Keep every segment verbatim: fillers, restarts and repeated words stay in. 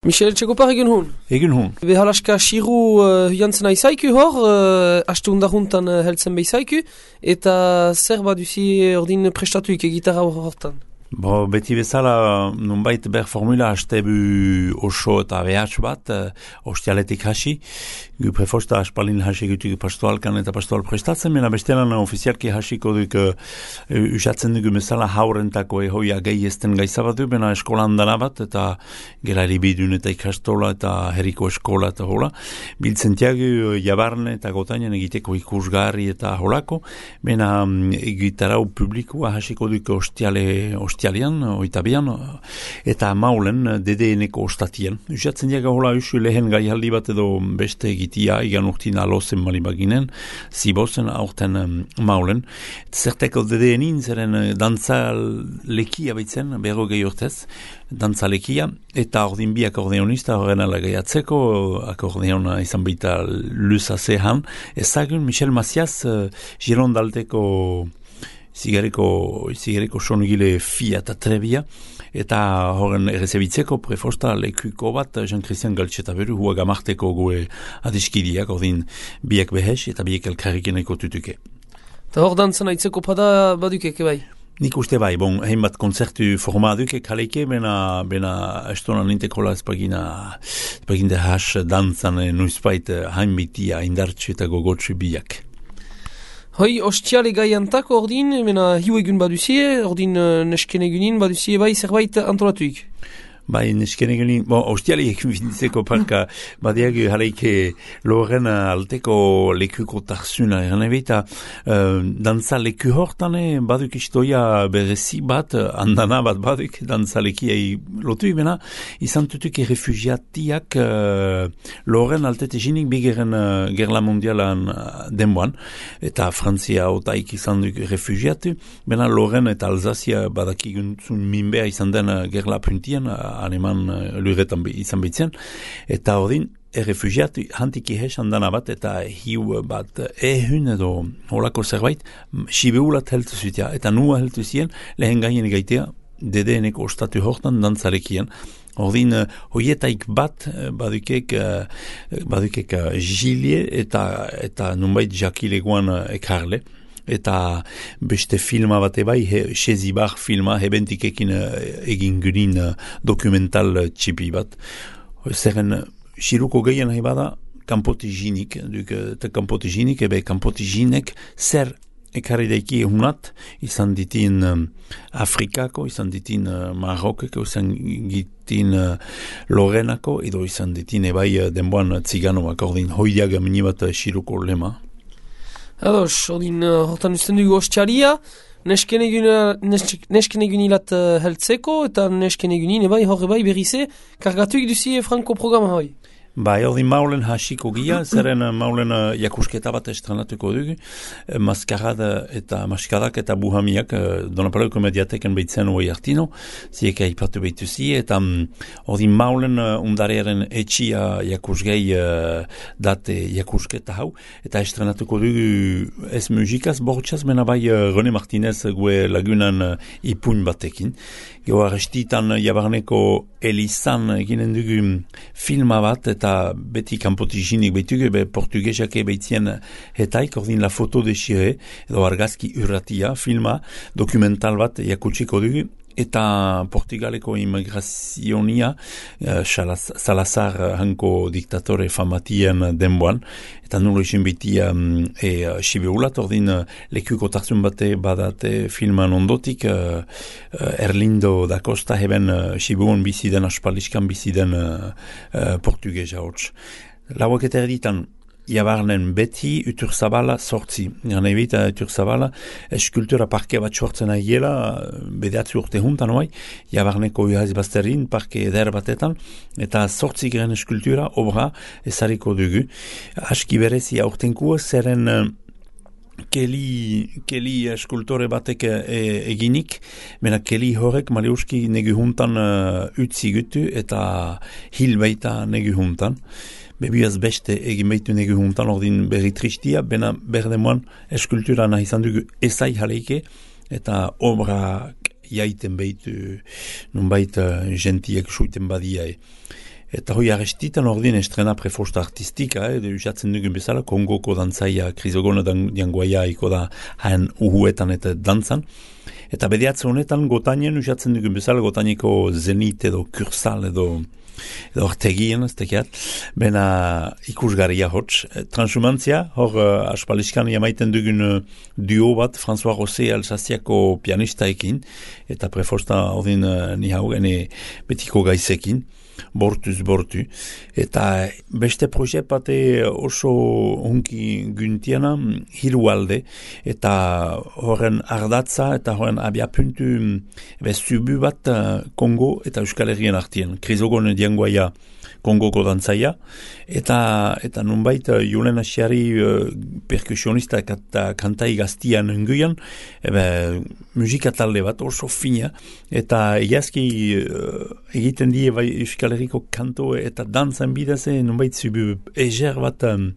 Michel Txekopar egin hun? Egin hun. Behalaska siru uh, jantzen aizaiku hor, uh, astu undaruntan uh, heltzen behizaiku, eta zer baduzi ordin prestatuik egitarra hortan? Bo, beti bezala, nunbait ber formula hastebu oso eta behatx bat, uh, ostialetik hasi, gu prefosta aspalin hasi gutuk pastoalkan eta pastoal prestatzen, mena bestelan ofizialki hasiko duk uh, usatzen dugu bezala haurentako ehoia gehi esten gaizabatu, bena eskolan dana bat, eta gela eribidun eta ikastola eta herriko eskola eta hola, biltzen tiagu jabarne eta gotainen egiteko ikusgarri eta holako, bena um, egitarau publikua hasiko duk ostiale, ostiale Ostialian, oitabian, eta maulen dedeeneko ostatien. Usatzen diaga hola usu lehen gaihaldi bat edo beste egitia, igan urtin alozen malibaginen, zibozen aurten um, maulen. Zerteko dedeenin, zeren dantza lekia baitzen, berro gehi urtez, dantza lekia, eta ordin bi akordeonista horren alagaiatzeko, akordeona izan baita luza zehan, ezagun Michel Macias, uh, Girondaldeko zigareko, zigareko sonugile fia eta trebia, eta horren errezebitzeko prefosta lekuko bat Jean-Christian Galtxeta beru hua gamarteko goe adiskidiak, ordin biak behes eta biak elkarrikeneko tutuke. Eta hor dantzan aitzeko pada badukeke bai? Nik uste bai, bon, hainbat konzertu formaduke kaleike, bena, bena estona nintekola espagina, espagina has dantzan nuizpait hainbitia indartsu eta gogotsu biak. Hoi, ostiale gaiantako ordin, mena hiu egun baduzie, ordin uh, nesken egunin baduzie bai zerbait antolatuik. Bai, nesken egunin, bon, ostiale egun fintzeko parka, badiagu haleike loren alteko lekuko tarzuna, eran ebita, uh, dantza leku hortane baduk istoia berezi bat, andana bat baduk, dantza lekiai lotu, mena, izan tutuk refugiatiak uh, loren altetezinik bigeren uh, gerla mondialan uh, denboan, eta Frantzia otaik izan duk refugiatu, bena loren eta Alsazia badakiguntzun minbea izan den uh, gerla puntian, uh, aneman uh, luretan izan bitzen, eta ordin, errefugiatu hantiki hesan dana bat, eta hiu bat ehun edo holako zerbait, sibeulat heltu zutia, eta nua heltu zien, lehen gaien gaitea, dedeeneko ostatu hortan dantzalekian. Ordin, hoietaik bat badukek, badukek Gilie eta, eta nunbait jakileguan ekarle, eta beste filma bate bai, Sezibar filma, hebentikekin egin gunin dokumental txipi bat. Zeren, siruko gehien nahi bada, kanpotiginik, duk, eta kanpotiginik, ebe kanpotiginek zer ekarri daiki hunat, izan ditin um, Afrikako, izan ditin uh, Marokeko, izan ditin uh, Lorenako, edo izan ditin ebai uh, denboan uh, Tziganoak, ordin hoidiaga minibat uh, siruko lema. Ados, ordin, uh, hortan usten dugu ostialia, nesken egunilat uh, heltzeko, eta nesken egunin ebai horre bai berrize, kargatuik duzi franko programa hoi. Bai, ordin maulen hasiko gia, zeren maulen uh, jakusketa bat estrenatuko dugu, uh, maskarada eta maskadak eta buhamiak, uh, Donapaleuko mediateken behitzen hoi hartino, zieka ipatu behituzi, eta um, ordin maulen uh, undarearen etxia jakusgei uh, date jakusketa hau, eta estrenatuko dugu ez musikaz, bortxaz, mena bai uh, René Martinez gue lagunan uh, ipun batekin. Gero arrestitan jabarneko Elizan eginen dugu filma bat, eta beti kanpotiginik behitugu, be portugesak behitzien hetaik, ordin La Foto de Xire, edo argazki urratia, filma, dokumental bat jakutsiko dugu, eta Portugaleko immigrazionia, uh, Salazar hanko diktatore famatien denboan, eta nulo isin biti um, e, uh, sibeulat, ordin uh, lekuko tarzun bate badate filman ondotik, uh, uh, Erlindo da Costa heben uh, sibeun biziden, aspaliskan biziden uh, uh, portugesa hots. Lauak eta erditan, jabarnen beti utur zabala sortzi. Gana ebita utur zabala eskultura parke bat sortzen ahiela, bedeatzi urte juntan oai, jabarneko uhaz bazterin parke eder batetan, eta sortzi garen eskultura obra ezariko dugu. Aski berezi aurtenkua, zeren Keli, keli eskultore batek e, eginik, mena keli horrek maliuski negu juntan uh, utzi gutu eta hil baita negu juntan. Bebiaz beste egin behitu negu juntan ordin berri tristia, bena berdemoan eskultura nahi izan dugu ezai jaleike eta obrak jaiten behitu nunbait uh, gentiek suiten badiae. Eta hoi arrestitan ordin estrena prefosta artistika, edo usatzen dugun bezala, Kongoko dantzaia, Krisogona diangoaia iko da haen uhuetan eta dantzan. Eta bediatze honetan gotanien usatzen dugun bezala, gotaniko zenit edo kursal edo edo ortegien, ez tekiat, bena ikusgarria hots. Transhumantzia, hor uh, aspaliskan jamaiten dugun uh, duo bat, François Rosé Alsaziako pianistaekin, eta prefosta ordin uh, ni hau gene betiko gaizekin, bortuz bortu. Eta beste proje bate oso hunki guntiana, hiru alde, eta horren ardatza, eta horren abiapuntu ebe zubu bat uh, Kongo eta Euskal Herrien artien. Krizogon diangoaia Kongoko dantzaia, eta eta nunbait Julen Asiari uh, perkusionista eta kantai gaztian enguian, ebe musika talde bat oso fina, eta egiazki uh, egiten die bai Euskal Herriko kanto eta dantzan bidez, nunbait zubu eger bat um,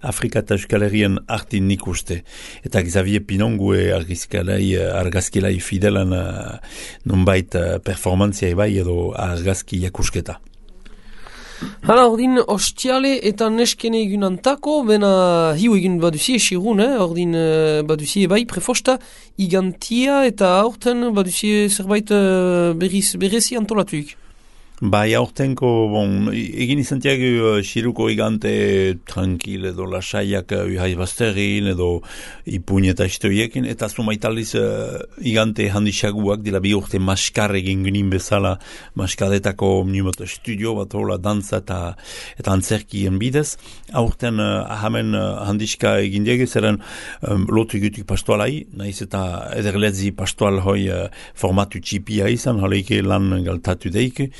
Afrika eta Euskal Herrien artin nik uste. Eta Xavier Pinongue argazkilai, argazkilai fidelan uh, nunbait uh, performantzia ebai edo argazki jakusketa. Hala, ordin, ostiale eta neskene egunantako, bena hiu egin baduzie esirun, eh? Ordin uh, baduzie bai prefosta igantia eta aurten baduzie zerbait uh, berriz, berrezi antolatuik. Bai, aurtenko, bon, egin izantiak uh, xiruko igante tranquil edo lasaiak uh, uhai bazterin edo ipuin eta istoiekin, eta zumaitaliz uh, igante handixaguak dila bi urte maskar egin ginen bezala maskadetako mnimot studio bat hola dantza eta, eta antzerkien bidez. Aurten uh, ahamen uh, handiska egin diege, zeren um, lotu gutuk pastoalai, nahiz eta ederletzi pastoal hoi uh, formatu txipia izan, haleike lan galtatu deike,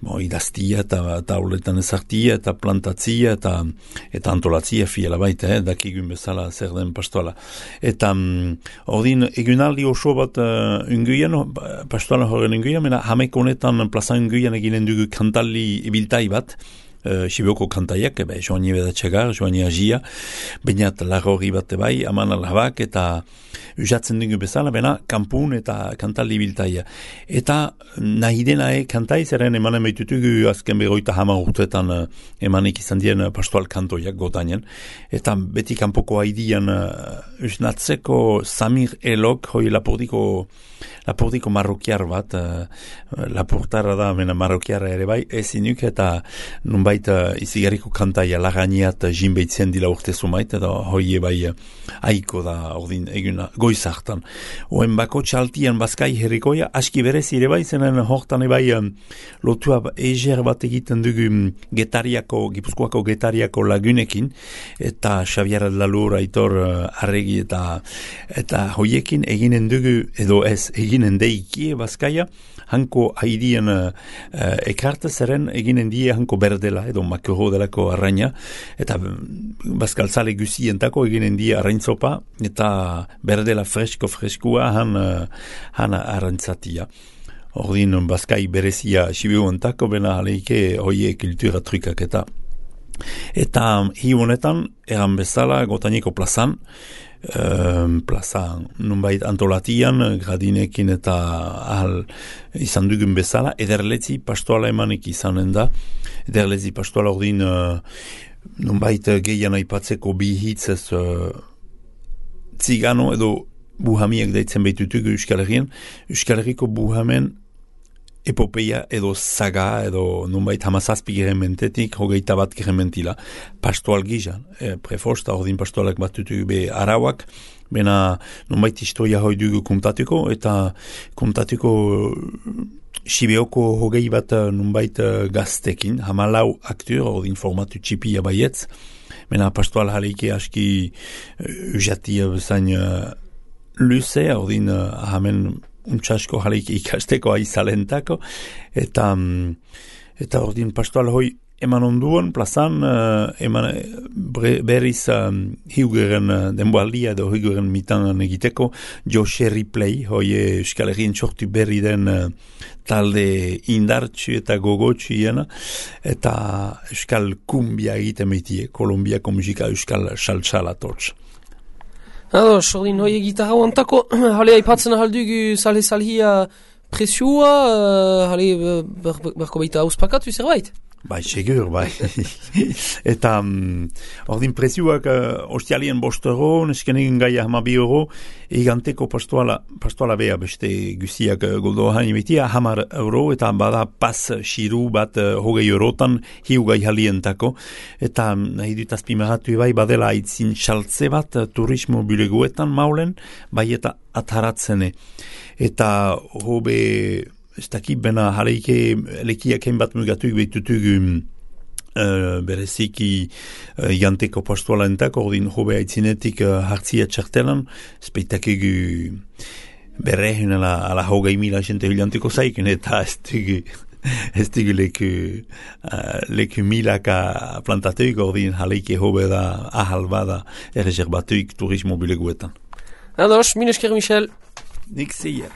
Bo, idaztia eta tauletan ezartia eta plantatzia eta, eta antolatzia fiela baita, eh, dakigun bezala zer den pastoala. Eta um, ordin egunaldi oso bat uh, unguian, pastoala horren unguian, mena hamek honetan plaza unguian eginen dugu kantalli ibiltai bat, Uh, Sibioko kantaiak, ebe, joani bedatxagar, joani agia, bainat lagorri bat bai, aman alabak, eta usatzen dugu bezala, bena, kampun eta kantalli biltaia. Eta nahi denae kantai, zeren emanen behitutugu azken begoita hama urtetan uh, emanik izan dien uh, pastoal kantoiak gotainen, eta beti kanpoko haidian uh, usnatzeko Samir Elok, hoi lapordiko lapordiko marrokiar bat, uh, laportara da, mena marrokiara ere bai, ezinuk, eta nunbait uh, izigarriko kantaia laganiat uh, jinbeitzen dila urte zumait, eta hoi bai uh, aiko da ordin eguna goizartan. Oen bako txaltian bazkai herrikoia, aski berez ere bai, zenen hortan ebai um, lotua eger bat egiten dugu um, getariako, gipuzkoako getariako lagunekin, eta Xavier Lalur, Aitor uh, Arregi eta eta hoiekin eginen dugu, edo ez, eginen deikie bazkaia, hanko haidien uh, uh, ekarte zeren eginen die hanko berdela, edo makero delako arraina, eta bazkaltzale guzientako eginen die arraintzopa, eta berdela fresko freskua han, uh, han arraintzatia. Ordin bazkai berezia sibiuentako, bena aleike hoie kultura trukak eta. Eta hi honetan, eran bezala gotaniko plazan, Um, plaza nunbait antolatian, gradinekin eta ahal izan dugun bezala, ederletzi pastoala emanik izanen da. Ederletzi pastoala ordin uh, nunbait gehian aipatzeko bi hitzez uh, zigano edo buhamiek daitzen behitutugu Euskal Herrien. Euskal Herriko buhamen epopeia edo saga edo nunbait hamazazpi gerementetik hogeita bat gerementila pastoal gizan, e, prefosta ordin pastoalak batutu be arauak, bena nunbait historia hoi dugu kontatuko, eta kontatuko Sibioko hogei bat nunbait gaztekin, hamalau akteur ordin formatu txipia baietz, bena pastoal haleike aski ujatia bezain uh, luze, ordin uh, ahamen untsasko jaleik ikasteko aizalentako, eta eta ordin pastoal hoi eman onduan, plazan, uh, eman bre, berriz um, hiugeren uh, denboaldia edo hiugeren mitan egiteko, Jose Ripley, hoi Euskal Herrien txortu berri den uh, talde indartsu eta gogotsu iena, eta Euskal Kumbia egiten behitie, Kolombiako musika Euskal Saltsala tortz. Ados, ordin hoi gitarra antako, hale aipatzen ahaldugu sale salhia presiua, hale berko baita auspakatu zerbait? Bai, segur, bai. Eta, um, ordin prezioak uh, ostialien bost euro, neskenegin gaia hama bi euro, eganteko pastoala, pastoala beha beste guziak uh, goldo hain betia, hamar euro, eta bada pas xiru bat uh, hogei eurotan hiu gai halientako. Eta nahi dut azpimarratu bai, badela aitzin xaltze bat uh, turismo bulegoetan maulen, bai eta ataratzene. Eta hobe... Ez dakit bena jaleike lekiak hein bat mugatuik behitutuk uh, bereziki uh, janteko pastoala entak, ordin hobe haitzinetik uh, hartzia txartelan, speitakigu berrehen ala, ala hogei mila jente hilanteko zaiken, eta ez dugu, ez dugu leku, uh, leku milaka plantatuik, ordin jaleike hobe da ahal bada erreserbatuik turismo bileguetan. Ados, minesker Michel. Nik zeier.